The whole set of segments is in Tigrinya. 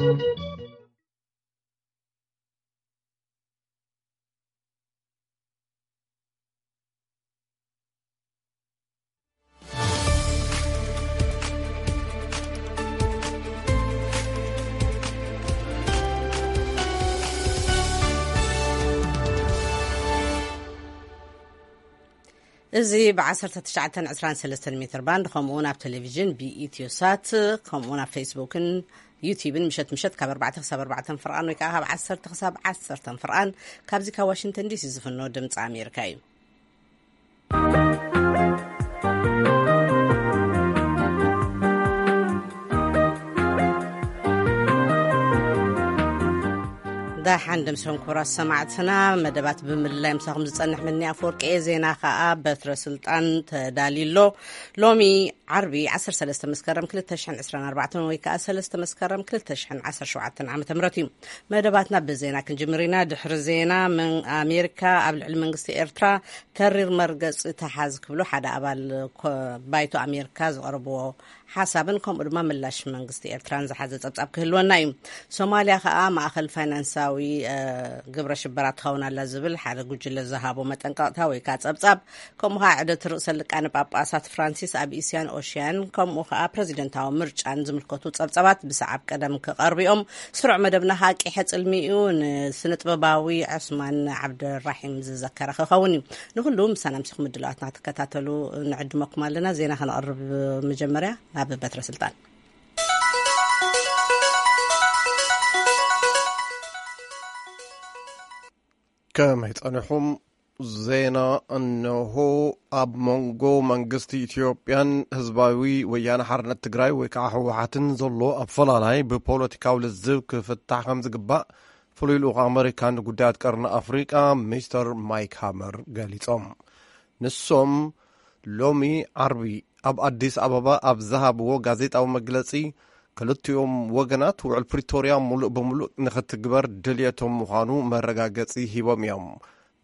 እዚ ብ1923 ሜትር ባንድ፣ ከምኡ እውን ኣብ ቴሌቪዥን ብኢትዮ ሳት፣ ከምኡ እውን ኣብ ፌስቡክን ዩቲብን ምሸት ምሸት ካብ ኣርባዕተ ክሳብ ኣርባዕተ ፍርቓን ወይ ከዓ ካብ ዓሰርተ ክሳብ ዓሰርተ ፍርቓን ካብዚ ካብ ዋሽንግተን ዲሲ ዝፍኖ ድምፂ ኣሜሪካ እዩ። ዳሓን ደምሰን ክቡራት ሰማዕትና፣ መደባት ብምልላይ ምሳኹም ዝጸንሕ ምኒ ኣፈወርቂ እየ። ዜና ከኣ በትረ ስልጣን ተዳልዩ ኣሎ። ሎሚ ዓርቢ ዓሰርተ ሰለስተ መስከረም ክልተ ሽሕን ዕስራን ኣርባዕተን ወይ ከኣ ሰለስተ መስከረም ክልተ ሽሕን ዓሰርተ ሸውዓተን ዓመተ ምህረት እዩ። መደባትና ብዜና ክንጅምር ኢና። ድሕሪ ዜና፣ መን-፣ ኣሜሪካ ኣብ ልዕሊ መንግስቲ ኤርትራ ተሪር መርገጺ ተሓዝ ክብሉ ሓደ ኣባል ኮ-፣ ባይቶ ኣሜሪካ ዝቐረብዎ ሓሳብን ከምኡ ድማ ምላሽ መንግስቲ ኤርትራን ዝሓዘ ጸብጻብ ክህልወና እዩ። ሶማልያ ከኣ ማእኸል ፋይናንሳዊ፣ እ፣ ግብረ ሽበራ ትኸውን ኣላ ዝብል ሓደ ጉጅለ ዝሃቦ መጠንቀቕታ ወይ ከኣ ጸብጻብ፣ ከምኡ ከኣ ዕደት ርእሰ ሊቃነ ጳጳሳት ፍራንሲስ ኣብ እስያን ኦሽያን፣ ከምኡ ከኣ ፕረዚደንታዊ ምርጫን ዝምልከቱ ጸብጻባት ብሰዓብ ቀደም ክቐርቡ እዮም። ስሩዕ መደብና ከኣ ቂሐ ጽልሚ እዩ። ንስነ ጥበባዊ ዑስማን ዓብደራሒም ዝዘከረ ክኸውን እዩ። ንኹሉ ምሳና ምሲኹም ምድላዋትና ክትከታተሉ ንዕድመኩም ኣለና። ዜና ከነቕርብ መጀመርያ ናብ በትረ ስልጣን። ከመይ ጸኒሑም? ዜና እነሆ። ኣብ መንጎ መንግስቲ ኢትዮጵያን ህዝባዊ ወያነ ሓርነት ትግራይ ወይ ከዓ ህወሓትን ዘሎ ኣፈላላይ ብፖለቲካዊ ልዝብ ክፍታሕ ከም ዝግባእ ፍሉይ ልኡኽ ኣመሪካ ንጉዳያት ቀርኒ ኣፍሪቃ ሚስተር ማይክ ሃመር ገሊጾም። ንሶም ሎሚ ዓርቢ ኣብ ኣዲስ ኣበባ ኣብ ዝሃብዎ ጋዜጣዊ መግለጺ፣ ክልቲኦም ወገናት ውዕል ፕሪቶርያ ሙሉእ ብሙሉእ ንኽትግበር ድልየቶም ምዃኑ መረጋገጺ ሂቦም እዮም።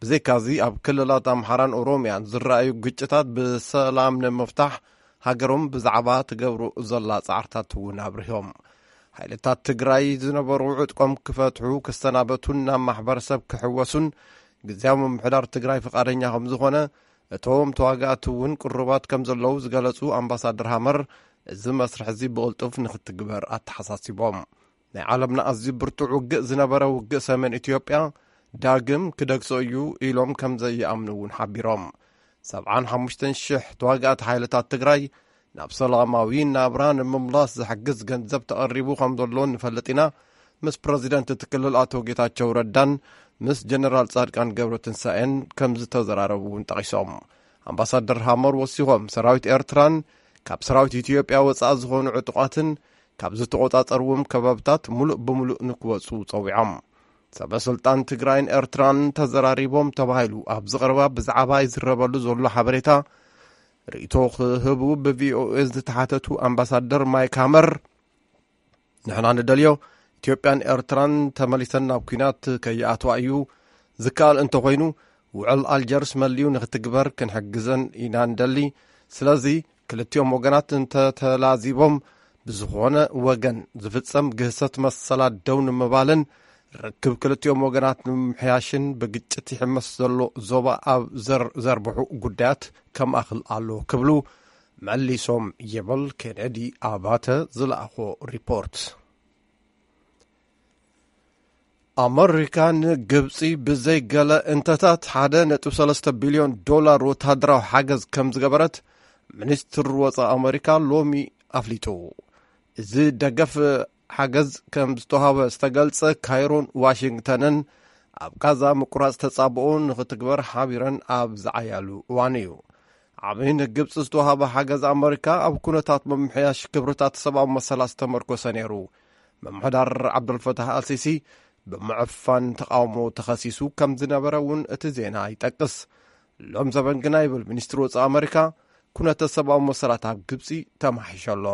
ብዘይካዚ ኣብ ክልላት ኣምሓራን ኦሮምያን ዝረኣዩ ግጭታት ብሰላም ንምፍታሕ ሃገሮም ብዛዕባ ትገብሮ ዘላ ጻዕርታት እውን ኣብሪሆም። ሓይልታት ትግራይ ዝነበሩ ዕጥቆም ክፈትሑ፣ ክሰናበቱን ናብ ማሕበረሰብ ክሕወሱን ግዝያዊ ምምሕዳር ትግራይ ፍቓደኛ ከም ዝኾነ፣ እቶም ተዋጋእቲ እውን ቅሩባት ከም ዘለዉ ዝገለጹ ኣምባሳደር ሃመር፣ እዚ መስርሕ እዚ ብቕልጡፍ ንኽትግበር ኣተሓሳሲቦም። ናይ ዓለምና ኣዝዩ ብርቱዕ ውግእ ዝነበረ ውግእ ሰሜን ኢትዮጵያ ዳግም ክደግሶ እዩ ኢሎም ከም ዘይኣምኑ እውን ሓቢሮም። ሰብዓን ሓሙሽተን ሽሕ ተዋጋእቲ ሓይልታት ትግራይ ናብ ሰላማዊ ናብራ ንምምላስ ዝሕግዝ ገንዘብ ተቐሪቡ ከም ዘሎ ንፈልጥ ኢና። ምስ ፕረዚደንት እቲ ክልል ኣቶ ጌታቸው ረዳን ምስ ጀነራል ጻድቃን ገብረትንሳኤን ከም ዝተዘራረቡ እውን ጠቒሶም። ኣምባሳደር ሃመር ወሲኾም፣ ሰራዊት ኤርትራን ካብ ሰራዊት ኢትዮጵያ ወጻኢ ዝኾኑ ዕጡቓትን ካብ ዝተቖጻጸርዎም ከባብታት ሙሉእ ብሙሉእ ንክወጹ ጸዊዖም። ሰበ ስልጣን ትግራይን ኤርትራን ተዘራሪቦም ተባሂሉ ኣብ ዝቐረባ ብዛዕባ ይዝረበሉ ዘሎ ሓበሬታ ርእይቶ ክህቡ ብቪኦኤ ዝተሓተቱ ኣምባሳደር ማይክ ሃመር፣ ንሕና ንደልዮ ኢትዮጵያን ኤርትራን ተመሊሰን ናብ ኲናት ከይኣትዋ እዩ። ዝከኣል እንተኾይኑ ውዕል ኣልጀርስ መሊኡ ንክትግበር ክንሕግዘን ኢና ንደሊ። ስለዚ ክልቲኦም ወገናት እንተተላዚቦም ብዝኾነ ወገን ዝፍጸም ግህሰት መሰላት ደው ንምባልን ርክብ ክልቲኦም ወገናት ንምምሕያሽን ብግጭት ይሕመስ ዘሎ ዞባ ኣብ ዘር-፣ ዘርብሑ ጉዳያት ከማእኽል ኣሎ ክብሉ መሊሶም ይብል ኬኔዲ ኣባተ ዝለኣኾ ሪፖርት። ኣመሪካ ንግብፂ ብዘይ ገለ እንተታት ሓደ ነጥቢ ሰለስተ ቢልዮን ዶላር ወታደራዊ ሓገዝ ከም ዝገበረት ሚኒስትር ወፃኢ ኣመሪካ ሎሚ ኣፍሊጡ። እዚ ደገፍ ሓገዝ ከም ዝተዋህበ ዝተገልጸ ካይሮን ዋሽንግተንን ኣብ ጋዛ ምቁራጽ ተጻብኦ ንኽትግበር ሓቢረን ኣብ ዝዓያሉ እዋን እዩ። ዓቢ ንግብጺ ዝተዋህበ ሓገዝ ኣመሪካ ኣብ ኩነታት ምምሕያሽ ክብርታት ሰብኣዊ መሰላት ዝተመርኮሰ ነይሩ። ምምሕዳር ዓብደልፈታህ ኣልሲሲ ብምዕፋን ተቓውሞ ተኸሲሱ ከም ዝነበረ እውን እቲ ዜና ይጠቅስ። ሎም ዘበን ግና ይብል ሚኒስትሪ ወጻኢ ኣመሪካ፣ ኩነተ ሰብኣዊ መሰላት ኣብ ግብጺ ተማሒሾ ኣሎ።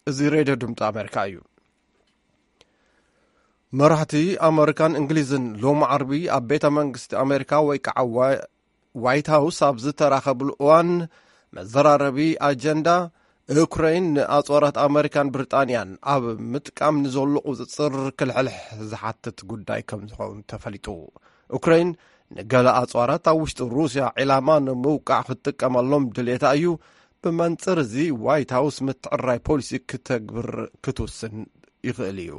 እዚ ሬድዮ ድምፂ ኣሜሪካ እዩ። መራሕቲ ኣመሪካን እንግሊዝን ሎሚ ዓርቢ ኣብ ቤተ መንግስቲ ኣሜሪካ ወይ ከዓ ዋ-፣ ዋይት ሃውስ ኣብ ዝተራኸብሉ እዋን መዘራረቢ ኣጀንዳ ዩክሬን ንኣጽዋራት ኣመሪካን ብሪጣንያን ኣብ ምጥቃም ንዘሎ ቁጽጽር ክልሕልሕ ዝሓትት ጉዳይ ከም ዝኸውን ተፈሊጡ። ዩክሬን ንገለ ኣጽዋራት ኣብ ውሽጢ ሩስያ ዒላማ ንምውቃዕ ክትጥቀመሎም ድሌታ እዩ። ብመንጽር እዚ ዋይት ሃውስ ምትዕራይ ፖሊሲ ክተግብር ክትውስን ይኽእል እዩ።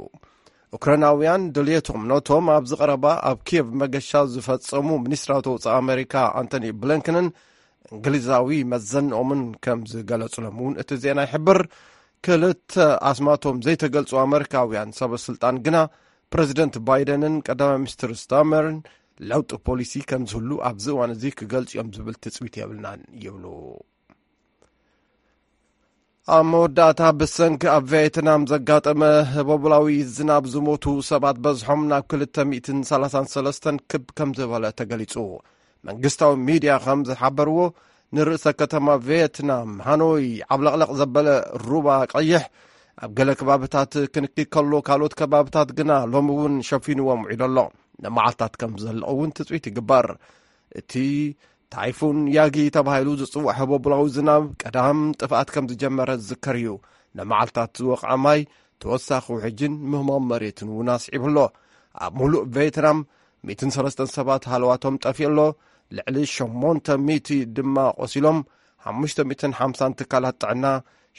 ዩክሬናውያን ድልየቶም ነቶም ኣብዚ ቀረባ ኣብ ኪየቭ መገሻ ዝፈጸሙ ሚኒስትራዊ ወጻኢ ኣመሪካ ኣንቶኒ ብሊንከንን እንግሊዛዊ መዘንኦምን ከም ዝገለጹሎም እውን እቲ ዜና ይሕብር። ክልተ ኣስማቶም ዘይተገልጹ ኣመሪካውያን ሰበ ስልጣን ግና ፕረዚደንት ባይደንን ቀዳማይ ሚኒስትር ስታመርን ለውጢ ፖሊሲ ከም ዝህሉ ኣብዚ እዋን እዚ ክገልጹ እዮም ዝብል ትጽቢት የብልናን ይብሉ። ኣብ መወዳእታ ብሰንኪ ኣብ ቬትናም ዘጋጠመ ህቦብላዊ ዝናብ ዝሞቱ ሰባት በዝሖም ናብ ክልተ ሚእትን ሰላሳን ሰለስተን ክብ ከም ዝበለ ተገሊጹ። መንግስታዊ ሚድያ ከም ዝሓበርዎ ንርእሰ ከተማ ቬትናም ሃኖይ ዓብለቕለቕ ዘበለ ሩባ ቀይሕ ኣብ ገለ ከባብታት ክንኪ ከሎ ካልኦት ከባብታት ግና ሎሚ እውን ሸፊንዎም ውዒሉ ኣሎ። ንመዓልታት ከም ዝዘልቕ እውን ትጽቢት ይግበር። እቲ ታይፉን ያጊ ተባሂሉ ዝጽዋዕ ህቦብላዊ ዝናብ ቀዳም ጥፍኣት ከም ዝጀመረ ዝዝከር እዩ። ንመዓልታት ዝወቕዐ ማይ ተወሳኺ ውሕጅን ምህማም መሬትን እውን ኣስዒቡ ኣሎ። ኣብ ሙሉእ ቬትናም ሚእትን ሰለስተን ሰባት ሃለዋቶም ጠፊኡ ኣሎ። ልዕሊ ሸሞንተ ሚእቲ ድማ ቆሲሎም፣ ሓሙሽተ ሚእትን ሓምሳን ትካላት ጥዕና፣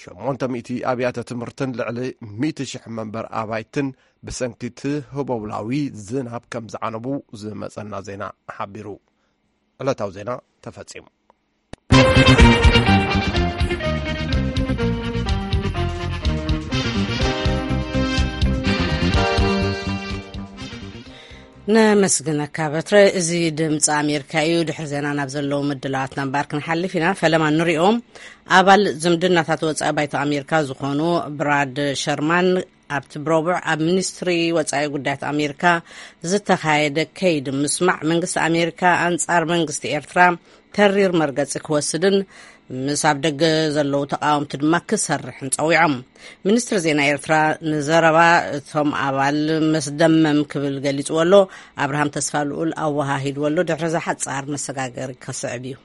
ሸሞንተ ሚእቲ ኣብያተ ትምህርትን ልዕሊ ሚእቲ ሽሕ መንበር ኣባይትን ብሰንኪ እቲ ህቦብላዊ ዝናብ ከም ዝዓነቡ ዝመጸና ዜና ሓቢሩ። ዕለታዊ ዜና ተፈጺሙ። ነመስግነካ በትረ። እዚ ድምፂ ኣሜሪካ እዩ። ድሕሪ ዜና ናብ ዘለዉ ምድላዋትና እምበኣር ክንሓልፍ ኢና። ፈለማ ንሪኦም። ኣባል ዝምድናታት ወፃኢ ባይቶ ኣሜሪካ ዝኾኑ ብራድ ሸርማን ኣብቲ ብረቡዕ ኣብ ሚኒስትሪ ወፃኢ ጉዳያት ኣሜሪካ ዝተኻየደ ከይዲ ምስማዕ መንግስቲ ኣሜሪካ ኣንፃር መንግስቲ ኤርትራ ተሪር መርገፂ ክወስድን ምስ ኣብ ደገ ዘለዉ ተቃወምቲ ድማ ክሰርሕን ፀዊዖም። ሚኒስትሪ ዜና ኤርትራ ንዘረባ እቶም ኣባል መስደመም ክብል ገሊፅዎ ኣሎ። ኣብርሃም ተስፋ ልኡል ኣወሃሂድዎ ኣሎ። ድሕሪ እዚ ሓፃር መሰጋገሪ ከስዕብ እዩ።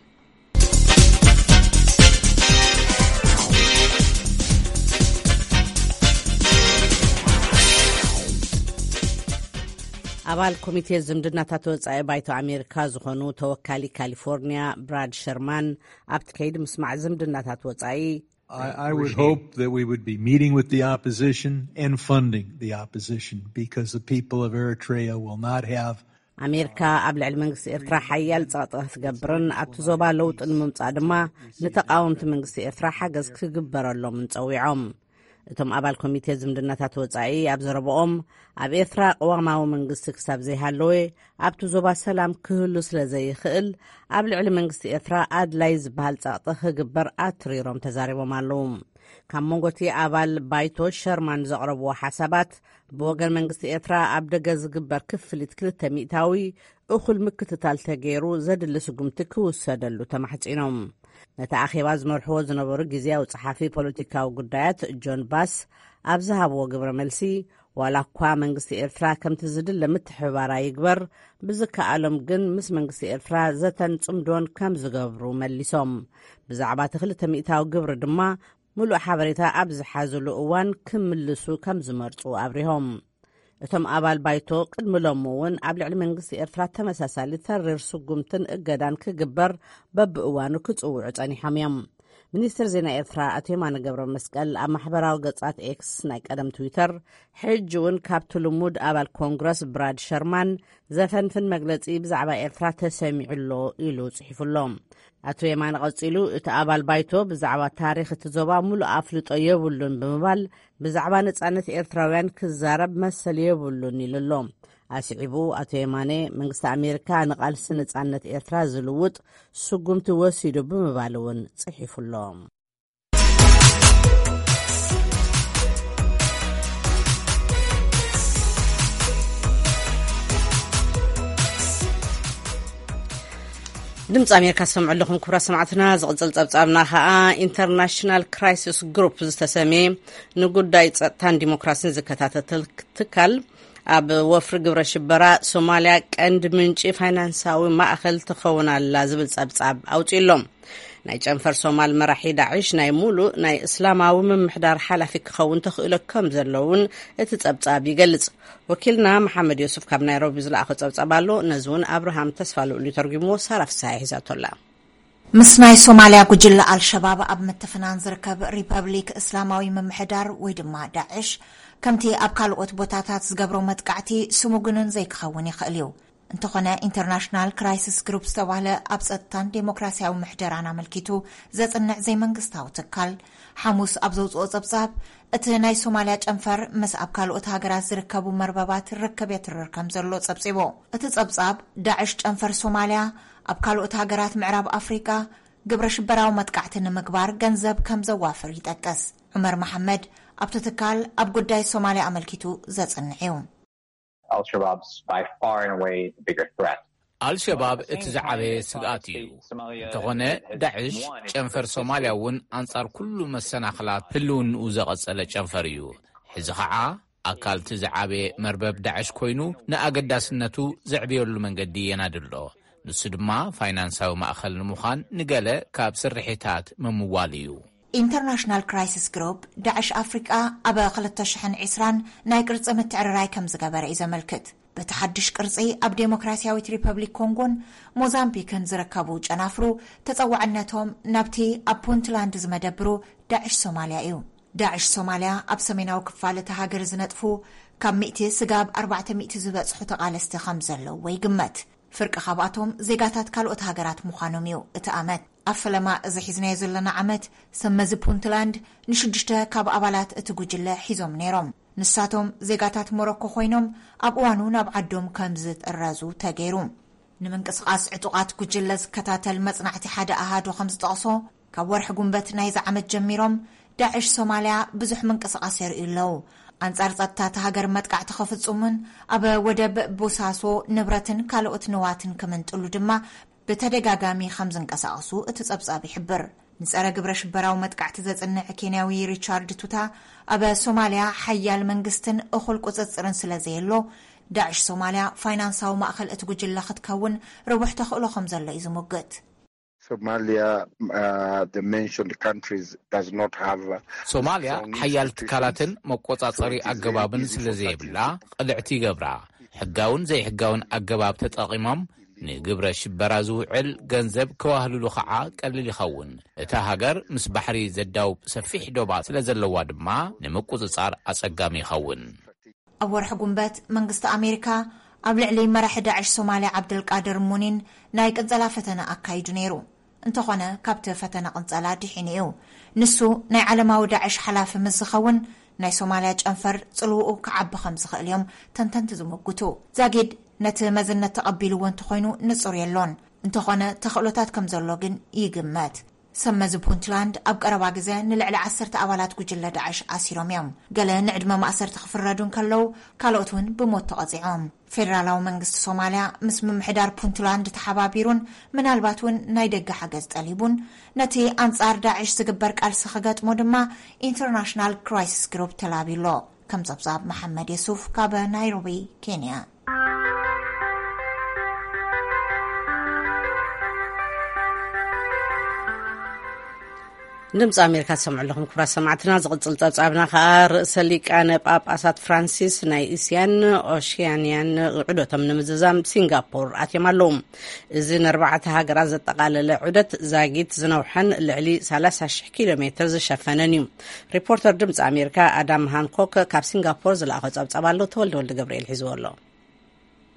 ኣባል ኮሚቴ ዝምድናታት ወጻኢ ባይቶ ኣሜሪካ ዝኾኑ ተወካሊ ካሊፎርኒያ ብራድ ሸርማን ኣብቲ ከይዲ ምስማዕ ዝምድናታት ወጻኢ I, I would hope that we would be meeting with the opposition and funding the opposition because the people of Eritrea will not have ኣሜሪካ ኣብ ልዕሊ መንግስቲ ኤርትራ ሓያል ጸቕጢ ክትገብርን ኣብቲ ዞባ ለውጢ ንምምጻእ ድማ ንተቓወምቲ መንግስቲ ኤርትራ ሓገዝ ክግበረሎምን ጸዊዖም። እቶም ኣባል ኮሚቴ ዝምድናታት ወጻኢ ኣብ ዘረብኦም ኣብ ኤርትራ ቅዋማዊ መንግስቲ ክሳብ ዘይሃለወ ኣብቲ ዞባ ሰላም ክህሉ ስለ ዘይኽእል ኣብ ልዕሊ መንግስቲ ኤርትራ ኣድላይ ዝበሃል ጸቕጢ ክግበር ኣትሪሮም ተዛሪቦም ኣለዉ። ካብ መንጎቲ ኣባል ባይቶ ሸርማን ዘቕረብዎ ሓሳባት ብወገን መንግስቲ ኤርትራ ኣብ ደገ ዝግበር ክፍሊት ክልተ ሚእታዊ እኹል ምክትታል ተገይሩ ዘድሊ ስጉምቲ ክውሰደሉ ተማሕጺኖም። ነቲ ኣኼባ ዝመርሕዎ ዝነበሩ ግዜያዊ ጸሓፊ ፖለቲካዊ ጉዳያት ጆን ባስ ኣብ ዝሃብዎ ግብረ መልሲ ዋላ እኳ መንግስቲ ኤርትራ ከምቲ ዝድለ ምትሕብባር ኣይግበር ብዝከኣሎም ግን ምስ መንግስቲ ኤርትራ ዘተን ጽምዶን ከም ዝገብሩ መሊሶም። ብዛዕባ እቲ ክልተ ሚእታዊ ግብሪ ድማ ምሉእ ሓበሬታ ኣብ ዝሓዝሉ እዋን ክምልሱ ከም ዝመርጹ ኣብሪሆም። እቶም ኣባል ባይቶ ቅድሚ ሎሚ እውን ኣብ ልዕሊ መንግስቲ ኤርትራ ተመሳሳሊ ተሪር ስጉምትን እገዳን ክግበር በብእዋኑ ክጽውዑ ጸኒሖም እዮም። ሚኒስትር ዜና ኤርትራ ኣቶ የማነ ገብረ መስቀል ኣብ ማሕበራዊ ገጻት ኤክስ ናይ ቀደም ትዊተር ሕጂ እውን ካብቲ ልሙድ ኣባል ኮንግረስ ብራድ ሸርማን ዘፈንፍን መግለጺ ብዛዕባ ኤርትራ ተሰሚዑ ኣሎ ኢሉ ጽሒፉ ኣሎ። ኣቶ የማነ ቀጺሉ እቲ ኣባል ባይቶ ብዛዕባ ታሪኽ እቲ ዞባ ሙሉእ ኣፍልጦ የብሉን ብምባል ብዛዕባ ነጻነት ኤርትራውያን ክዛረብ መሰል የብሉን ኢሉ ኣሎ። ኣስዒቡ ኣቶ የማነ መንግስቲ ኣሜሪካ ንቓልሲ ነጻነት ኤርትራ ዝልውጥ ስጉምቲ ወሲዱ ብምባል እውን ጽሒፉ ኣሎ። ድምፂ ኣሜሪካ ዝሰምዑ ኣለኹም ክቡራት ሰማዕትና። ዝቕፅል ፀብፃብና ከዓ ኢንተርናሽናል ክራይሲስ ግሩፕ ዝተሰምየ ንጉዳይ ፀጥታን ዲሞክራሲን ዝከታተል ትካል ኣብ ወፍሪ ግብረ ሽበራ ሶማልያ ቀንዲ ምንጪ ፋይናንሳዊ ማእኸል ትኸውን ኣላ ዝብል ፀብፃብ ኣውፂኡ ኣሎ። ናይ ጨንፈር ሶማል መራሒ ዳዕሽ ናይ ሙሉእ ናይ እስላማዊ ምምሕዳር ሓላፊ ክኸውን ተኽእሎ ከም ዘለውን እቲ ጸብጻብ ይገልጽ። ወኪልና መሓመድ ዮሱፍ ካብ ናይሮቢ ዝለኣኸ ጸብጻብ ኣሎ። ነዚ እውን ኣብርሃም ተስፋ ልኡል እዩ ተርጉምዎ። ሳራ ፍስሃ ሒዛቶ ኣላ። ምስ ናይ ሶማልያ ጉጅለ ኣልሸባብ ኣብ ምትፍናን ዝርከብ ሪፐብሊክ እስላማዊ ምምሕዳር ወይ ድማ ዳዕሽ፣ ከምቲ ኣብ ካልኦት ቦታታት ዝገብሮ መጥቃዕቲ ስሙጉንን ዘይክኸውን ይኽእል እዩ። እንተኾነ፣ ኢንተርናሽናል ክራይሲስ ግሩፕ ዝተባህለ ኣብ ጸጥታን ዴሞክራሲያዊ ምሕደራን ኣመልኪቱ ዘጽንዕ ዘይመንግስታዊ ትካል፣ ሓሙስ ኣብ ዘውጽኦ ጸብጻብ፣ እቲ ናይ ሶማልያ ጨንፈር ምስ ኣብ ካልኦት ሃገራት ዝርከቡ መርበባት ርክብ የትርር ከም ዘሎ ጸብጺቡ። እቲ ጸብጻብ፣ ዳዕሽ ጨንፈር ሶማልያ ኣብ ካልኦት ሃገራት ምዕራብ ኣፍሪቃ ግብረ ሽበራዊ መጥቃዕቲ ንምግባር ገንዘብ ከም ዘዋፍር ይጠቅስ። ዑመር መሓመድ ኣብቲ ትካል ኣብ ጉዳይ ሶማልያ ኣመልኪቱ ዘጽንዕ እዩ። Al-Shabaab's by far and away the bigger threat. ኣልሸባብ እቲ ዝዓበየ ስግኣት እዩ። እንተኾነ፣ ዳዕሽ ጨንፈር ሶማልያ እውን ኣንጻር ኩሉ መሰናኽላት ህልውንኡ ዘቐጸለ ጨንፈር እዩ። ሕዚ ኸዓ ኣካል እቲ ዝዓበየ መርበብ ዳዕሽ ኮይኑ፣ ንኣገዳስነቱ ዘዕብየሉ መንገዲ የናድሎ። ንሱ ድማ ፋይናንሳዊ ማእኸል ንምዃን ንገለ ካብ ስርሒታት ምምዋል እዩ። ኢንተርናሽናል ክራይሲስ ግሩፕ፣ ዳዕሽ ኣፍሪቃ ኣብ ክልተ ሽሕን ዕስራን ናይ ቅርጺ ምትዕርራይ ከም ዝገበረ እዩ ዘመልክት። በቲ ሓድሽ ቅርጺ፣ ኣብ ዴሞክራሲያዊት ሪፐብሊክ ኮንጎን ሞዛምቢክን ዝርከቡ ጨናፍሩ ተጸዋዕነቶም ናብቲ ኣብ ፑንትላንድ ዝመደብሩ ዳዕሽ ሶማልያ እዩ። ዳዕሽ ሶማልያ ኣብ ሰሜናዊ ክፋል እታ ሃገር ዝነጥፉ ካብ ሚእቲ ስጋብ ኣርባዕተ ሚእቲ ዝበጽሑ ተቓለስቲ ከም ዘለዉ ይግመት። ፍርቂ ካብኣቶም ዜጋታት ካልኦት ሃገራት ምዃኖም እዩ እቲ ኣመት። ኣብ ፈለማ እዚ ሒዝናዮ ዘለና ዓመት፣ ሰብ መዚ ፑንትላንድ ንሽዱሽተ ካብ ኣባላት እቲ ጉጅለ ሒዞም ነይሮም። ንሳቶም ዜጋታት ሞሮኮ ኮይኖም፣ ኣብ እዋኑ ናብ ዓዶም ከም ዝጥረዙ ተገይሩ። ንምንቅስቓስ ዕጡቓት ጉጅለ ዝከታተል መጽናዕቲ ሓደ ኣሃዱ ከም ዝጠቕሶ፣ ካብ ወርሒ ጉንበት ናይዚ ዓመት ጀሚሮም፣ ዳዕሽ ሶማልያ ብዙሕ ምንቅስቓስ የርእዩ ኣለዉ። ኣንጻር ጸጥታ እታ ሃገር መጥቃዕቲ ክፍጽሙን ኣብ ወደብ ቦሳሶ ንብረትን ካልኦት ንዋትን ክምንጥሉ ድማ ብተደጋጋሚ ከም ዝንቀሳቐሱ እቲ ጸብጻብ ይሕብር። ንጸረ ግብረ ሽበራዊ መጥቃዕቲ ዘጽንዕ ኬንያዊ ሪቻርድ ቱታ፣ ኣብ ሶማልያ ሓያል መንግስትን እኹል ቁጽጽርን ስለ ዘየሎ፣ ዳዕሽ ሶማልያ ፋይናንሳዊ ማእከል እቲ ጉጅለ ክትከውን ርቡሕ ተኽእሎ ከም ዘሎ እዩ ዝሙግት። Somalia, uh, the mentioned countries does not have, uh, ሶማልያ strong ሓያል institutions ትካላትን መቆጻጸሪ to prevent ኣገባብን these ስለ issues ዘየብላ፣ happening. ቅልዕቲ ይገብራ። ሕጋውን ዘይሕጋውን ኣገባብ ተጠቒሞም ንግብረ ሽበራ ዝውዕል ገንዘብ ከዋህልሉ ኸዓ ቀሊል ይኸውን። እታ ሃገር ምስ ባሕሪ ዘዳውብ ሰፊሕ ዶባት ስለ ዘለዋ ድማ፣ ንምቁጽጻር ኣጸጋሚ ይኸውን። ኣብ ወርሒ ጉንበት፣ መንግስቲ ኣሜሪካ ኣብ ልዕሊ መራሒ ዳዕሽ ሶማልያ ዓብደልቃድር ሙኒን ናይ ቅንጸላ ፈተነ ኣካይዱ ነይሩ። እንተኾነ፣ ካብቲ ፈተነ ቅንጸላ ድሒኑ እዩ። ንሱ ናይ ዓለማዊ ዳዕሽ ሓላፊ ምስ ዝኸውን፣ ናይ ሶማልያ ጨንፈር ጽልውኡ ክዓቢ ከም ዝኽእል እዮም ተንተንቲ ዝምጉቱ። ዛጊድ ነቲ መዝነት ተቐቢልዎ እንተኾይኑ ንጹር የሎን። እንተኾነ፣ ተኽእሎታት ከም ዘሎ ግን ይግመት። ሰብ መዚ ፑንትላንድ ኣብ ቀረባ ግዜ ንልዕሊ ዓሰርተ ኣባላት ጉጅለ ዳዕሽ ኣሲሮም እዮም። ገለ ንዕድመ ማእሰርቲ ክፍረዱ እንከለዉ፣ ካልኦት እውን ብሞት ተቐጺዖም። ፌደራላዊ መንግስቲ ሶማልያ ምስ ምምሕዳር ፑንትላንድ ተሓባቢሩን ምናልባት እውን ናይ ደገ ሓገዝ ጠሊቡን፣ ነቲ ኣንጻር ዳዕሽ ዝግበር ቃልሲ ክገጥሞ ድማ ኢንተርናሽናል ክራይሲስ ግሩፕ ተላብዩ ኣሎ። ከም ጸብጻብ መሓመድ የሱፍ ካብ ናይሮቢ፣ ኬንያ። ድምፂ ኣሜሪካ ትሰምዑ ኣለኹም ክቡራት ሰማዕትና። ዝቕፅል ፀብፃብና ከዓ፣ ርእሰ ሊቃነ ጳጳሳት ፍራንሲስ ናይ እስያን ኦሽያንያን ዑደቶም ንምዝዛም ሲንጋፖር ኣትዮም ኣለዉ። እዚ ንኣርባዕተ ሃገራት ዘጠቓለለ ዑደት ዛጊት ዝነውሐን ልዕሊ ሰላሳ ሺሕ ኪሎ ሜትር ዝሸፈነን እዩ። ሪፖርተር ድምፂ ኣሜሪካ ኣዳም ሃንኮክ ካብ ሲንጋፖር ዝለኣኾ ፀብፃብ ኣሎ። ተወልደ ወልደ ገብርኤል ሒዝዎ ኣሎ።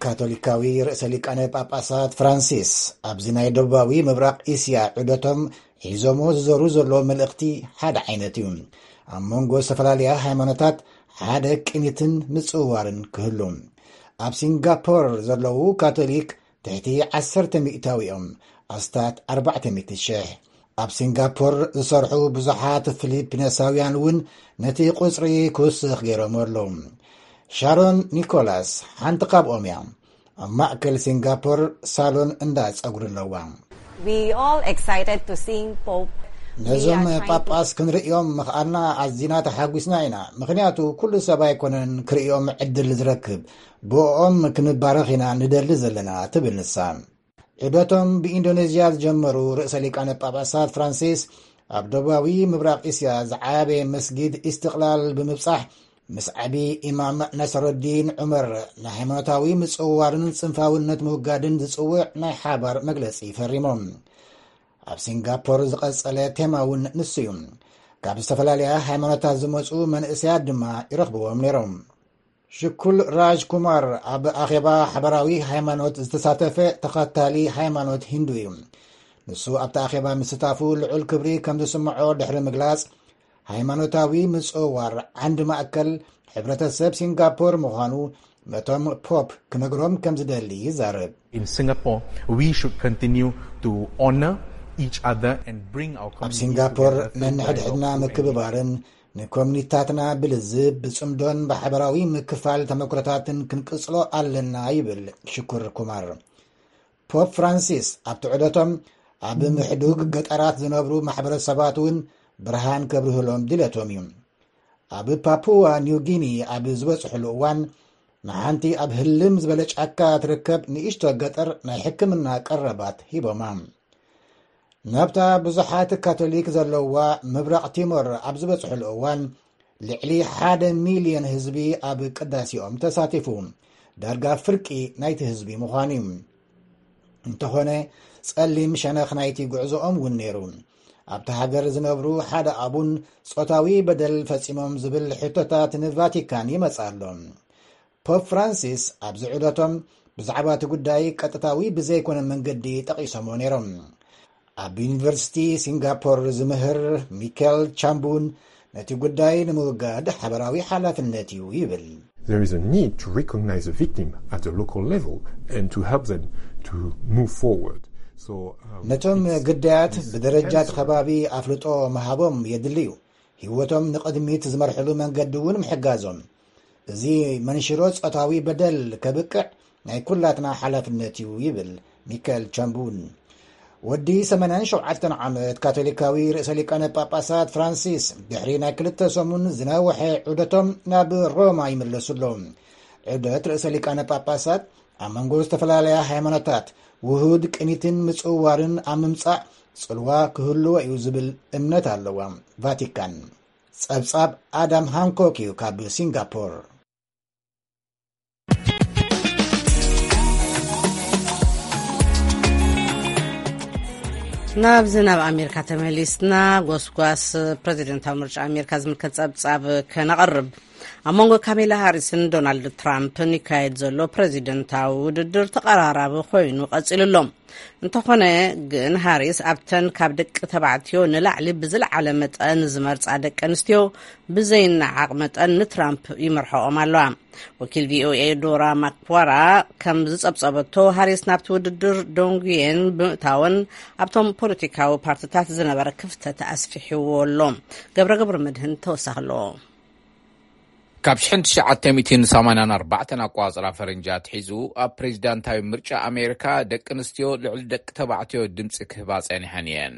ካቶሊካዊ ርእሰ ሊቃነ ጳጳሳት ፍራንሲስ ኣብዚ ናይ ደቡባዊ ምብራቕ እስያ ዑደቶም ሒዞሞ ዝዘሩ ዘሎ መልእኽቲ ሓደ ዓይነት እዩ። ኣብ መንጎ ዝተፈላለያ ሃይማኖታት ሓደ ቅኒትን ምጽውዋርን ክህሉ። ኣብ ሲንጋፖር ዘለዉ ካቶሊክ ትሕቲ ዓሰርተ ሚእታዊ እዮም፣ ኣስታት ኣርባዕተ ሚእቲ ሽሕ። ኣብ ሲንጋፖር ዝሰርሑ ብዙሓት ፊሊፒነሳውያን እውን ነቲ ቁጽሪ ክውስኽ ገይሮም ኣለዉ። ሻሮን ኒኮላስ ሓንቲ ካብኦም እያ። ኣብ ማእከል ሲንጋፖር ሳሎን እንዳ ጸጉሪ ኣለዋ። We all excited to seeing Pope ነዞም Leo trying to ጳጳስ ክንርእዮም ምኽኣልና ኣዚና ተሓጒስና ኢና፣ ምኽንያቱ ኩሉ ሰብ ኣይኮነን ክርእዮም ዕድል ዝረክብ። ብኦም ክንባረኽ ኢና ንደሊ ዘለና፣ ትብል ንሳ። ዑደቶም ብኢንዶኔዝያ ዝጀመሩ ርእሰ ሊቃነ ጳጳሳት ፍራንሲስ፣ ኣብ ደቡባዊ ምብራቕ እስያ ዝዓበየ መስጊድ ኢስትቕላል ብምብጻሕ፣ ምስ ዓቢ ኢማም ናስረዲን ዑመር ንሃይማኖታዊ ምጽውዋርን ጽንፋውነት ምውጋድን ዝጽውዕ ናይ ሓባር መግለጺ ፈሪሞም። ኣብ ሲንጋፖር ዝቐጸለ ቴማ እውን ንሱ እዩ። ካብ ዝተፈላለያ ሃይማኖታት ዝመጹ መንእሰያት ድማ ይረኽብዎም ነይሮም። ሽኩል ራጅ ኩማር ኣብ ኣኼባ ሓበራዊ ሃይማኖት ዝተሳተፈ ተኸታሊ ሃይማኖት ሂንዱ እዩ። ንሱ ኣብቲ ኣኼባ ምስታፉ ልዑል ክብሪ ከም ዝስምዖ ድሕሪ ምግላጽ፣ ሃይማኖታዊ ምጽውዋር ዓንዲ ማእከል ሕብረተሰብ ሲንጋፖር ምዃኑ ነቶም ፖፕ ክነግሮም ከም ዝደሊ ይዛረብ። In Singapore, we should continue to honor each other and bring our ኣብ ሲንጋፖር ነንሕድሕድና ምክብባርን ንኮሚኒታትና ብልዝብ ብጽምዶን ብሓበራዊ ምክፋል ተመክሮታትን ክንቅጽሎ ኣለና ይብል ሽኩር ኩማር። ፖፕ ፍራንሲስ ኣብቲ ዑደቶም ኣብ ምሕዱግ ገጠራት ዝነብሩ ማሕበረሰባት እውን ብርሃን ከብርህሎም ድሌቶም እዩ። ኣብ ፓፑዋ ኒው ጊኒ ኣብ ዝበጽሕሉ እዋን ንሓንቲ ኣብ ህልም ዝበለ ጫካ ትርከብ ንእሽቶ ገጠር ናይ ሕክምና ቀረባት ሂቦማ። ናብታ ብዙሓት ካቶሊክ ዘለዋ ምብራቕ ቲሞር ኣብ ዝበጽሕሉ እዋን ልዕሊ ሓደ ሚልዮን ህዝቢ ኣብ ቅዳሴኦም ተሳቲፉ። ዳርጋ ፍርቂ ናይቲ ህዝቢ ምዃኑ እዩ። እንተኾነ ጸሊም ሸነኽ ናይቲ ጉዕዞኦም እውን ነይሩ። ኣብቲ ሃገር ዝነብሩ ሓደ ኣቡን ጾታዊ በደል ፈጺሞም ዝብል ሕቶታት ንቫቲካን ይመጽእ ኣሎ። ፖፕ ፍራንሲስ ኣብዚ ዑደቶም ብዛዕባ እቲ ጉዳይ ቀጥታዊ ብዘይኮነ መንገዲ ጠቒሶምዎ ነይሮም። ኣብ ዩኒቨርሲቲ ሲንጋፖር ዝምህር ሚካኤል ቻምቡን ነቲ ጉዳይ ንምውጋድ ሓበራዊ ሓላፍነት እዩ ይብል። There is a need to recognize the victim at the local level and to help them to move forward. So, um, ነቶም it's- ግዳያት it's ብደረጃ እቲ cancer. ከባቢ ኣፍልጦ ምሃቦም የድሊ እዩ። ህይወቶም ንቕድሚት ዝመርሕሉ መንገዲ እውን ምሕጋዞም። እዚ መንሽሮ ጾታዊ በደል ከብቅዕ ናይ ኩላትና ሓላፍነት እዩ ይብል ሚካኤል ቻምቡን። ወዲ ሰማንያን ሸውዓተን ዓመት ካቶሊካዊ ርእሰ ሊቃነ ጳጳሳት ፍራንሲስ ድሕሪ ናይ ክልተ ሰሙን ዝነውሐ ዑደቶም ናብ ሮማ ይምለሱ ኣለዉ። ዑደት ርእሰ ሊቃነ ጳጳሳት ኣብ መንጎ ዝተፈላለያ ሃይማኖታት ውሁድ ቅኒትን ምጽውዋርን ኣብ ምምጻእ ጽልዋ ክህልዎ እዩ ዝብል እምነት ኣለዋ ቫቲካን። ጸብጻብ ኣዳም ሃንኮክ እዩ ካብ ሲንጋፖር። ናብዚ ናብ ኣሜሪካ ተመሊስና፣ ጎስጓስ ፕሬዚደንታዊ ምርጫ ኣሜሪካ ዝምልከት ጸብጻብ ከነቕርብ። ኣብ መንጎ ካሜላ ሃሪስን ዶናልድ ትራምፕን ይካየድ ዘሎ ፕሬዚደንታዊ ውድድር ተቐራራቢ ኮይኑ ቀጺሉ ኣሎ። እንተኾነ ግን ሃሪስ ኣብተን ካብ ደቂ ተባዕትዮ ንላዕሊ ብዝለዓለ መጠን ዝመርጻ ደቂ ኣንስትዮ ብዘይነዓቕ መጠን ንትራምፕ ይመርሖኦም ኣለዋ። ወኪል ቪኦኤ ዶራ ማክዋራ ከም ዝጸብጸበቶ ሃሪስ ናብቲ ውድድር ዶንጉየን ብምእታወን ኣብቶም ፖለቲካዊ ፓርትታት ዝነበረ ክፍተት ኣስፊሕዎ ኣሎ። ገብረ ገብረ መድህን ተወሳኺ ኣለዎ። ካብ ሽሕን ትሽዓተ ሚእትን ሰማንያን ኣርባዕተን ኣቋጽራ ፈረንጂ ኣትሒዙ ኣብ ፕሬዚዳንታዊ ምርጫ ኣሜሪካ ደቂ ኣንስትዮ ልዕሊ ደቂ ተባዕትዮ ድምፂ ክህባ ጸኒሐን እየን።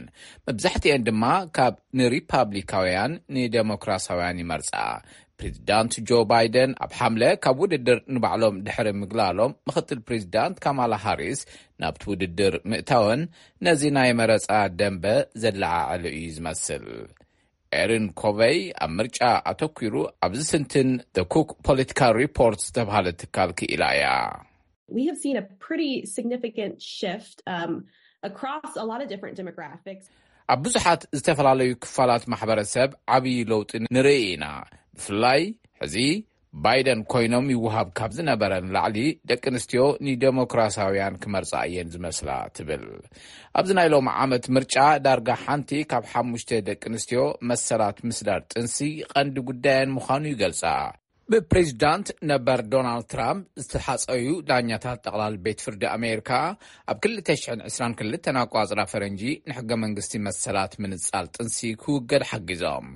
መብዛሕትኤን ድማ ካብ ንሪፓብሊካውያን ንደሞክራሳውያን ይመርጻ። ፕሬዚዳንት ጆ ባይደን ኣብ ሓምለ ካብ ውድድር ንባዕሎም ድሕሪ ምግላሎም፣ ምኽትል ፕሬዚዳንት ካማላ ሃሪስ ናብቲ ውድድር ምእታወን ነዚ ናይ መረጻ ደንበ ዘለዓዕሉ እዩ ዝመስል። ኤሪን ኮቨይ ኣብ ምርጫ ኣተኲሩ ኣብ ዝትንትን The Cook Political Report ዝተባህለ ትካል ክኢላ እያ። We have seen a pretty significant shift um, across a lot of different demographics. ኣብ ብዙሓት ዝተፈላለዩ ክፋላት ማሕበረሰብ ዓብዪ ለውጢ ንርኢ ኢና። ብፍላይ ሕዚ ባይደን ኮይኖም ይወሃብ ካብ ዝነበረ ንላዕሊ ደቂ ኣንስትዮ ንደሞክራሲያውያን ክመርጻ እየን ዝመስላ ትብል። ኣብዚ ናይ ሎሚ ዓመት ምርጫ ዳርጋ ሓንቲ ካብ ሓሙሽተ ደቂ ኣንስትዮ መሰላት ምስዳድ ጥንሲ ቀንዲ ጉዳየን ምዃኑ ይገልጻ። ብፕሬዚዳንት ነበር ዶናልድ ትራምፕ ዝተሓጸዩ ዳኛታት ጠቕላል ቤት ፍርዲ ኣሜሪካ ኣብ ክልተ ሽሕን ዕስራን ክልተን ኣቋጽራ ፈረንጂ ንሕገ መንግስቲ መሰላት ምንጻል ጥንሲ ክውገድ ሓጊዞም።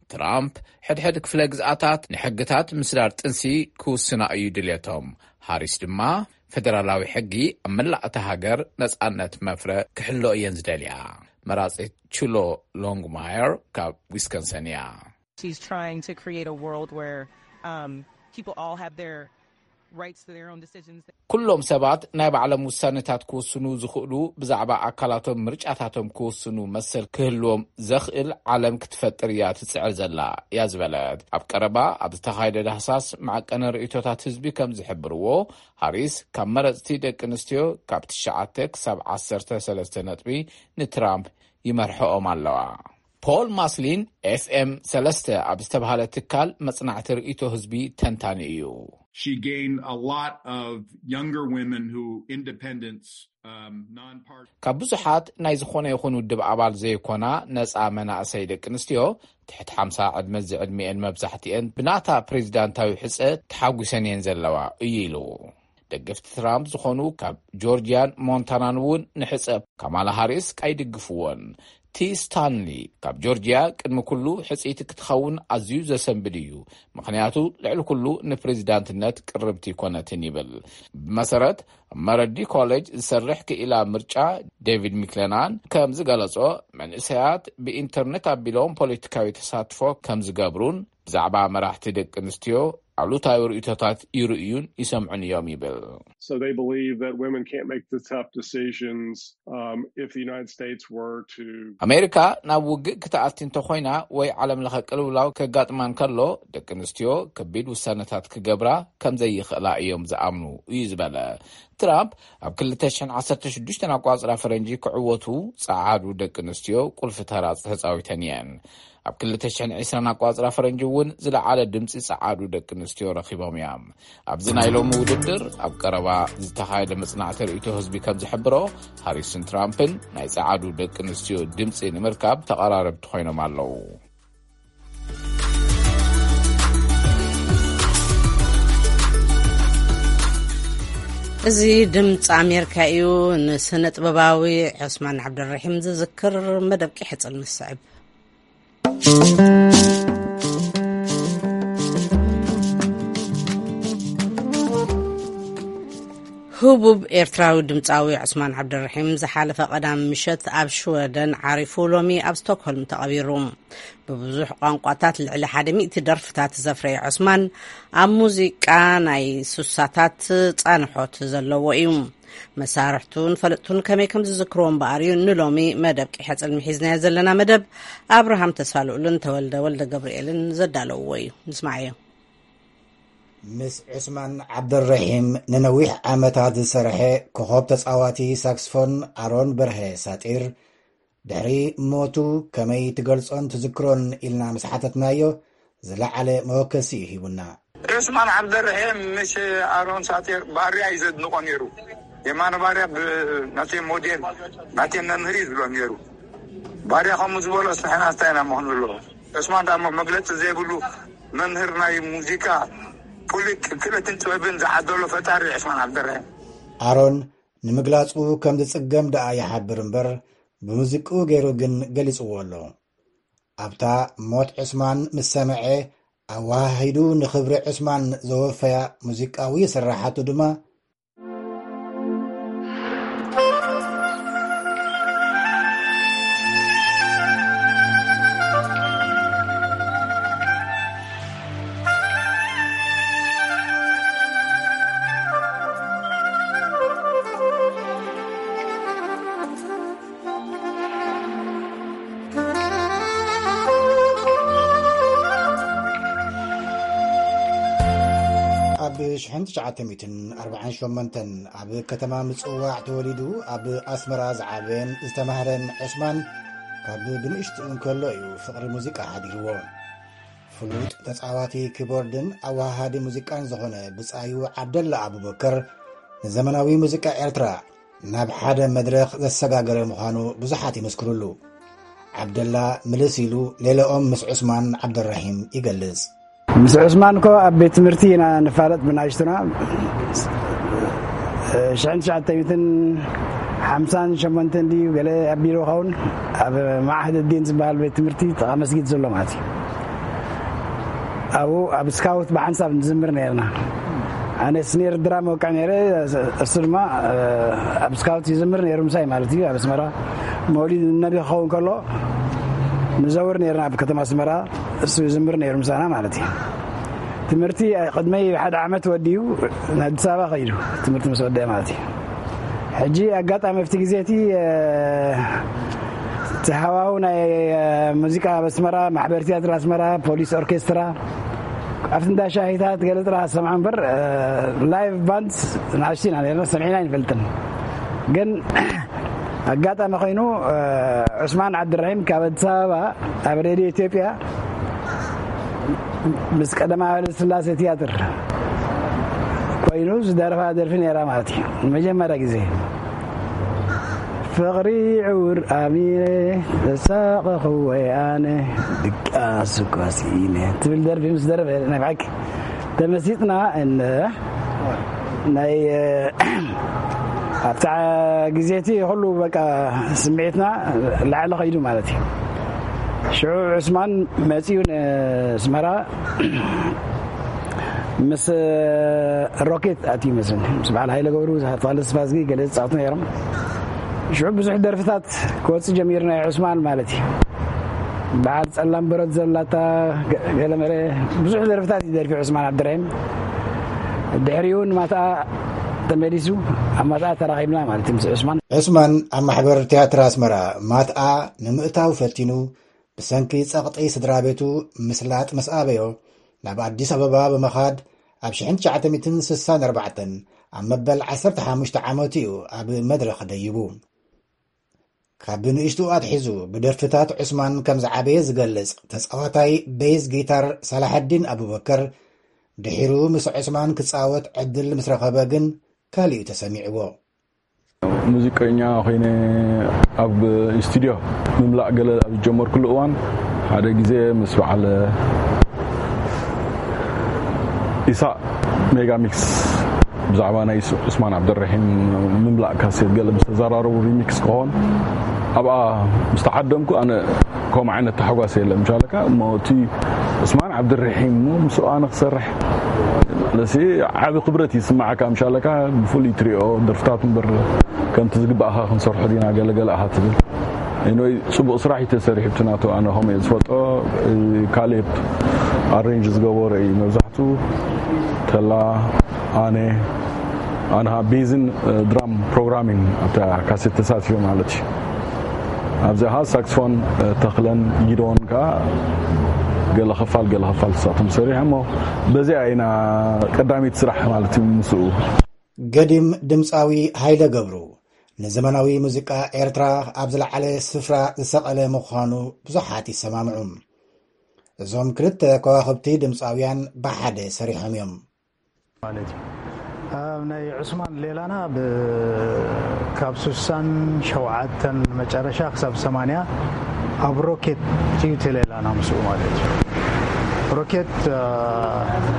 ትራምፕ ሕድሕድ ክፍለ ግዝኣታት ንሕግታት ምስዳር ጥንሲ ክውስና እዩ ድልየቶም። ሃሪስ ድማ ፈደራላዊ ሕጊ ኣብ መላእ እታ ሃገር ነጻነት መፍረ ክሕሎ እየን ዝደልያ። መራጺት ቹሎ ሎንግማየር ካብ ዊስኮንሰን እያ። She's trying to create a world where um, people all have their rights to their own decisions. ኩሎም ሰባት ናይ ባዕሎም ውሳነታት ክውስኑ ዝኽእሉ፣ ብዛዕባ ኣካላቶም ምርጫታቶም ክውስኑ መሰል ክህልዎም ዘኽእል ዓለም ክትፈጥር እያ ትጽዕር ዘላ እያ ዝበለት። ኣብ ቀረባ ኣብ ዝተኻየደ ዳህሳስ መዐቀኒ ርእይቶታት ህዝቢ ከም ዝሕብርዎ፣ ሃሪስ ካብ መረጽቲ ደቂ ኣንስትዮ ካብ ትሽዓተ ክሳብ ዓሰርተ ሰለስተ ነጥቢ ንትራምፕ ይመርሕኦም ኣለዋ። ፖል ማስሊን ኤፍ ኤም ሰለስተ ኣብ ዝተባህለ ትካል መጽናዕቲ ርእይቶ ህዝቢ ተንታኒ እዩ። She gained a lot of younger women who independents, um, non-partisan ካብ ብዙሓት ናይ ዝኾነ ይኹን ውድብ ኣባል ዘይኮና ነጻ መናእሰይ ደቂ ኣንስትዮ፣ ትሕቲ ሓምሳ ዕድመ ዝዕድሚኤን፣ መብዛሕትኤን ብናታ ፕሬዚዳንታዊ ሕጸ ተሓጒሰን እየን ዘለዋ እዩ ኢሉ። ደገፍቲ ትራምፕ ዝኾኑ ካብ ጆርጂያን ሞንታናን እውን ንሕጸ ካማላ ሃሪስ ኣይድግፍዎን። ቲ ስታንሊ ካብ ጆርጂያ ቅድሚ ኩሉ ሕጽይቲ ክትኸውን ኣዝዩ ዘሰንብድ እዩ፣ ምኽንያቱ ልዕሊ ኩሉ ንፕሬዚዳንትነት ቅርብቲ ይኮነትን ይብል። ብመሰረት ኣብ መረዲ ኮሌጅ ዝሰርሕ ክኢላ ምርጫ ዴቪድ ሚክለናን ከም ዝገለጾ፣ መንእሰያት ብኢንተርኔት ኣቢሎም ፖለቲካዊ ተሳትፎ ከም ዝገብሩን ብዛዕባ መራሕቲ ደቂ ኣንስትዮ ኣሉታዊ ርእይቶታት ይርእዩን ይሰምዑን እዮም ይብል። So they believe that women can't make the tough decisions, um, if the United States were to ኣሜሪካ ናብ ውግእ ክትኣቲ እንተኾይና ወይ ዓለም ለኸ ቅልውላው ከጋጥማ እንከሎ፣ ደቂ ኣንስትዮ ከቢድ ውሳነታት ክገብራ ከም ዘይኽእላ እዮም ዝኣምኑ እዩ ዝበለ ትራምፕ፣ ኣብ ክልተ ሽሕን ዓሰርተ ሽዱሽተን ኣቋጽራ ፈረንጂ ክዕወቱ ጸዓዱ ደቂ ኣንስትዮ ቁልፊ ተራ ተጻዊተን እየን። ኣብ ክልተ ሽሕን ዕስራን ኣቋጽራ ፈረንጂ እውን ዝለዓለ ድምጺ ጸዓዱ ደቂ ኣንስትዮ ረኺቦም እዮም። ኣብዚ ናይ ሎሚ ውድድር ኣብ ቀረባ ዝተኻየደ መጽናዕቲ ርእይቶ ህዝቢ ከም ዝሕብሮ፣ ሃሪስን ትራምፕን ናይ ጸዓዱ ደቂ ኣንስትዮ ድምጺ ንምርካብ ተቐራረብቲ ኮይኖም ኣለዉ። እዚ ድምፂ ኣሜሪካ እዩ። ንስነ ጥበባዊ ዑስማን ዓብደልረሒም ዝዝክር መደብ ቂሐ ጽልሚ ዝስዕብ። ህቡብ ኤርትራዊ ድምፃዊ ዑስማን ዓብደልረሒም ዝሓለፈ ቀዳም ምሸት ኣብ ሽወደን ዓሪፉ ሎሚ ኣብ ስቶክሆልም ተቐቢሩ። ብብዙሕ ቋንቋታት ልዕሊ ሓደ ሚእቲ ደርፍታት ዘፍረየ ዑስማን፣ ኣብ ሙዚቃ ናይ ሱሳታት ፃንሖት ዘለዎ እዩ። መሳርሕቱን ፈለጥቱን ከመይ ከም ዝዝክርዎ እምበኣር እዩ ንሎሚ መደብ ቂሐ ጽልሚ ሒዝናዮ ዘለና። መደብ ኣብርሃም ተስፋልኡልን ተወልደ ወልደ ገብርኤልን ዘዳለውዎ እዩ። ንስማዓዮ። ምስ ዑስማን ዓብደልረሒም ንነዊሕ ዓመታት ዝሰርሐ ኮኾብ ተጻዋቲ ሳክስፎን ኣሮን በርሀ ሳጢር፣ ድሕሪ ሞቱ ከመይ ትገልጾን ትዝክሮን ኢልና ምስ ሓተትናዮ፣ ዝለዓለ መወከሲ እዩ ሂቡና። ዑስማን ዓብደልረሒም ምስ ኣሮን ሳጢር ባርያ እዩ ዘድንቖ ነይሩ። የማነ ባርያ ብ-፣ ናተይ ሞዴል፣ ናተይ መምህር እዩ ዝብሎ ነይሩ። ባርያ ከምኡ ዝበሎ ንሕና እንታይ ኢና መኾን ዘለዎ? ዑስማን ዳሞ መግለጺ ዘይብሉ መምህር ናይ ሙዚቃ፣ ፍሉጥ ክእለትን ጥበብን ዝዓደሎ ፈጣሪ ዑስማን ዓብደልረሒም። ኣሮን ንምግላጹ ከም ዝጽገም ደኣ ይሓብር እምበር፣ ብሙዚቅኡ ገይሩ ግን ገሊጽዎ ኣሎ። ኣብታ ሞት ዑስማን ምስ ሰምዐ፣ ኣወሃሂዱ ንኽብሪ ዑስማን ዘወፈያ ሙዚቃዊ ስራሓቱ ድማ፣ ኣብ ሽሕን ትሽዓተ ሚእትን ኣርባዓን ሸሞንተን ኣብ ከተማ ምጽዋዕ ተወሊዱ ኣብ ኣስመራ ዝዓበየን ዝተማህረን ዑስማን፣ ካብ ብንእሽትኡ እንከሎ እዩ ፍቕሪ ሙዚቃ ሓዲርዎ። ፍሉጥ ተጻዋቲ ኪቦርድን ኣወሃሃዲ ሙዚቃን ዝኾነ ብጻዩ ዓብደላ ኣቡበከር፣ ንዘመናዊ ሙዚቃ ኤርትራ ናብ ሓደ መድረኽ ዘሰጋገረ ምዃኑ ብዙሓት ይመስክሩሉ። ዓብደላ ምልስ ኢሉ ሌላኦም ምስ ዑስማን ዓብደራሂም ይገልጽ። ምስ ዑስማን እኮ ኣብ ቤት ትምህርቲ ኢና ንፋለጥ ብናይሽቱና። ሽሕን ትሽዓተ ሚእትን ሓምሳን ሸሞንተን ድዩ ገለ ኣቢሉ ኸውን፣ ኣብ ማዕህድ ዲን ዝበሃል ቤት ትምህርቲ ጥቓ መስጊድ ዘሎ ማለት እዩ። ኣብኡ ኣብ ስካውት ብሓንሳብ ንዝምር ነርና። ኣነ ስኔር ድራም ወቅዕ ነይረ፣ እሱ ድማ፣ እ፣ ኣብ ስካውት ይዝምር ነይሩ ምሳይ ማለት እዩ። ኣብ ኣስመራ መውሊድ ነቢ ክኸውን ከሎ ንዘውር ነርና ኣብ ከተማ ኣስመራ፣ እሱ ይዝምር ነይሩ ምሳና ማለት እዩ። እቲ ትምህርቲ ቅድመይ ሓደ ዓመት ወዲኡ ንኣዲስ ኣበባ ከይዱ ትምህርቲ ምስ ወደአ ማለት እዩ። ሕጂ ኣጋጣሚ ኣብቲ ግዜ እቲ እቲ ሃዋሁ ናይ ሙዚቃ ኣብ ኣስመራ፣ ማሕበር ትያትር ኣስመራ፣ ፖሊስ ኦርኬስትራ፣ ኣብቲ እንዳ ሻሂታት ገለ ጥራሕ ዝሰምዖ እምበር፣ ላይቭ ባንድ ንኣሽቱ ኢና ነርና፣ ሰሚዕና ኣይንፈልጥን። ግን ኣጋጣሚ ኮይኑ ዑስማን ዓብድራሂም ካብ ኣዲስ ኣበባ ኣብ ሬድዮ ኢትዮጵያ ምስ ቀደማዊ ሃይለ ስላሴ ትያትር ኮይኑ ዝደረፋ ደርፊ ነይራ ማለት እዩ። ንመጀመርያ ግዜ ፍቕሪ ዕውር ኣሚረ ተሳቐኹ ወይ ኣነ ድቃስ እኳ ስኢነ ትብል ደርፊ ምስ ደረፈ ናይ ብሓቂ ተመሲጥና። እነ ናይ ኣብታ ግዜ እቲ ኩሉ በቃ ስምዒትና ላዕሊ ከይዱ ማለት እዩ። ሽዑ ዑስማን መፂኡ ንስመራ ምስ ሮኬት ኣትዩ መስለኒ፣ ምስ በዓል ሃይለ ገብሩ፣ ተስፋዝጊ ገለ ዝፃወቱ ነይሮም። ሽዑ ብዙሕ ደርፍታት ክወፅእ ጀሚሩ ናይ ዑስማን ማለት እዩ። በዓል ፀላም በረድ ዘላታ ገለመለ ብዙሕ ደርፍታት እዩ ደርፊ ዑስማን ዓብድራሂም። ድሕሪኡ ንማትኣ ተመሊሱ ኣብ ማትኣ ተራኺብና ማለት እዩ ምስ ዑስማን። ዑስማን ኣብ ማሕበር ትያትር ኣስመራ ማትኣ ንምእታው ፈቲኑ ብሰንኪ ጸቕጢ ስድራ ቤቱ ምስላጥ ምስ ኣበዮ ናብ ኣዲስ ኣበባ ብምኻድ ኣብ ሽሕን ትሽዓተ ሚእትን ስሳን ኣርባዕተን ኣብ መበል ዓሰርተ ሓሙሽተ ዓመቱ እዩ ኣብ መድረኽ ደይቡ። ካብ ንእሽቱ ኣትሒዙ ብደርፍታት ዑስማን ከም ዝዓበየ ዝገልጽ ተጻዋታይ ቤዝ ጊታር ሳላሐዲን ኣቡበከር፣ ድሒሩ ምስ ዑስማን ክጻወት ዕድል ምስ ረኸበ ግን ካልእ እዩ ተሰሚዕዎ። ሙዚቀኛ ኮይነ ኣብ ስቱድዮ ምምላእ ገለ ኣብ ዝጀመርኩሉ እዋን ሓደ ግዜ ምስ በዓል ኢሳቅ ሜጋ ሚክስ ብዛዕባ ናይ ዑስማን ዓብደረሒም ምምላእ ካሴት ገለ ምስ ተዘራረቡ ሪሚክስ ክኾን ኣብኣ ምስ ተዓደምኩ ኣነ ከምኡ ዓይነት ተሓጓስ የለ ምሻለካ እሞ እቲ ዑስማን ዓብደረሒም እሞ ምስኡ ኣነ ክሰርሕ ለሲ ዓቢ ክብረት ይስማዓካ ምሻለካ ብፍሉይ ትሪኦ ደርፍታት እምበር ከምቲ ዝግባእኻ ክንሰርሖ ዲና ገለገለ ኣኻ ትብል። ኤንወይ ጽቡቕ ስራሕ እዩ ተሰሪሑ እቲ ናቱ ኣነ ከምኡ እየ ዝፈልጦ። ካሌብ ኣሬንጅ ዝገበሮ እዩ መብዛሕቱ ተላ ኣነ ኣነ ቤዝን ድራም ፕሮግራሚን ኣብታ ካሴት ተሳትፎ ማለት እዩ። ኣብዚኣ ሳክስፎን ተኽለን ጊዶን ከዓ ገለ ክፋል ገለ ክፋል ተሳቶም ሰሪሖ እሞ በዚኣ ኢና ቀዳሚት ስራሕ ማለት እዩ ምስኡ። ገዲም ድምፃዊ ሃይለ ገብሩ ንዘመናዊ ሙዚቃ ኤርትራ ኣብ ዝለዓለ ስፍራ ዝሰቐለ ምዃኑ ብዙሓት ይሰማምዑ። እዞም ክልተ ከዋኽብቲ ድምፃውያን ብሓደ ሰሪሖም እዮም። ማለት እዩ። ኣብ ናይ ዑስማን ሌላና ብ-፣ ካብ ስሳን ሸውዓተን መጨረሻ ክሳብ ሰማንያ ኣብ ሮኬት እዩ እቲ ሌላና ምስኡ ማለት እዩ። ሮኬት፣ እ፣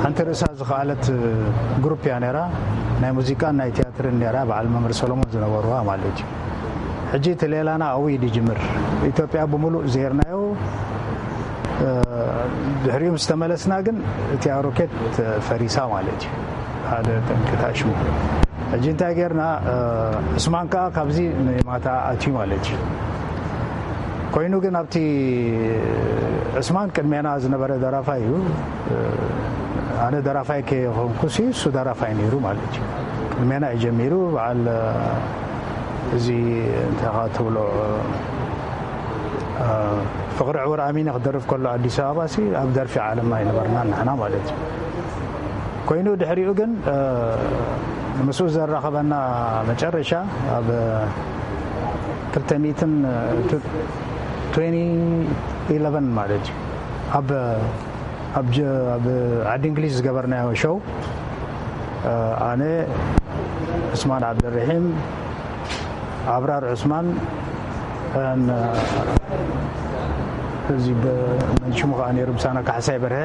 ሓንቲ ርእሳ ዝኸኣለት ግሩፕ እያ ነይራ። ናይ ሙዚቃን ናይ ቲያትርን ነይራ፣ በዓል መምህር ሰሎሞን ዝነበርዋ ማለት እዩ። ሕጂ እቲ ሌላና ኣብኡ እዩ ዝጅምር። ኢትዮጵያ ብምሉእ ዜርናዮ፣ እ፣ ድሕሪኡ ምስ ተመለስና ግን እቲኣ ሮኬት ፈሪሳ ማለት እዩ። ሓደ ጠንቂ ታሽሙ። ሕጂ እንታይ ጌርና፣ እ፣ ዑስማን ከኣ ካብዚ ንማታ ኣትዩ ማለት እዩ። ኮይኑ ግን ኣብቲ ዑስማን ቅድሜና ዝነበረ ደራፋይ እዩ። እ፣ ኣነ ደራፋይ ከይኮንኩሲ እሱ ደራፋይ ነይሩ ማለት እዩ። ቅድሜና እዩ ጀሚሩ። በዓል፣ እ፣ እዚ እንታይ ትብሎ፣ እ፣ ፍቕሪ ዕውር ኣሚነ ክደርፍ ከሎ ኣዲስ ኣበባ ሲ ኣብ ደርፊ ዓለምና ኣይነበርናን ንሕና ማለት እዩ። ኮይኑ ድሕሪኡ ግን፣ እ፣ ምስኡ ዘራኸበና መጨረሻ ኣብ ክልተ ሚእትን፣ እ፣ ቱ-፣ ትዌንቲ ኢለቨን ማለት እዩ። ኣብ፣ ኣብ ጀ-፣ ኣብ ዓዲ እንግሊዝ ዝገበርናዮ ሾው፣ እ፣ ኣነ፣ ዑስማን ዓብደርሒም፣ ኣብራር ዑስማን፣ ን-፣ እዚ ብ-፣ መን ሽሙ ከኣ ነይሩ ምሳና ካሕሳይ በርሀ፣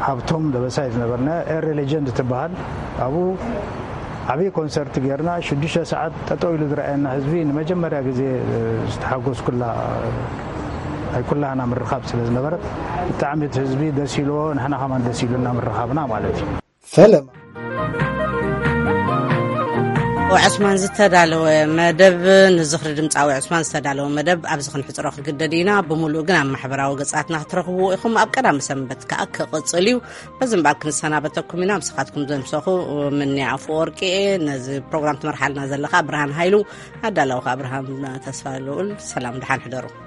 ሃብቶም ደበሳይ ዝነበርና ኤሪ ሌጀንድ ትበሃል። ኣብኡ ዓብዪ ኮንሰርት ጌርና፣ ሽዱሽተ ሰዓት ጠጠው ኢሉ ዝረኣየና ህዝቢ ንመጀመርያ ግዜ፣ እ፣ ዝተሓጎስኩላ፣ ናይ ኩላህና ምርኻብ ስለ ዝነበረት፣ ብጣዕሚ እቲ ህዝቢ ደስ ኢልዎ፣ ንሕና ከማን ደስ ኢሉና ምርኻብና ማለት እዩ። ፈለማ። ዕስማን ዝተዳለወ መደብ፣ ንዝኽሪ ድምፃዊ ዕስማን ዝተዳለወ መደብ ኣብዚ ክንሕፅሮ ክግደድ ኢና። ብምሉእ ግን ኣብ ማሕበራዊ ገፃትና ክትረኽብዎ ኢኹም። ኣብ ቀዳሚ ሰንበት ከዓ ክቕፅል እዩ። በዚ እምበኣር ክንሰናበተኩም ኢና። ምሳኻትኩም ዘምሰኹ ምንያ ኣፈወርቂ እየ። ነዚ ፕሮግራም ትመርሓልና ዘለኻ ብርሃን ሃይሉ፣ ኣዳላዊ ከዓ ብርሃን ተስፋ ልኡል። ሰላም፣ ደሓን ሕደሩ።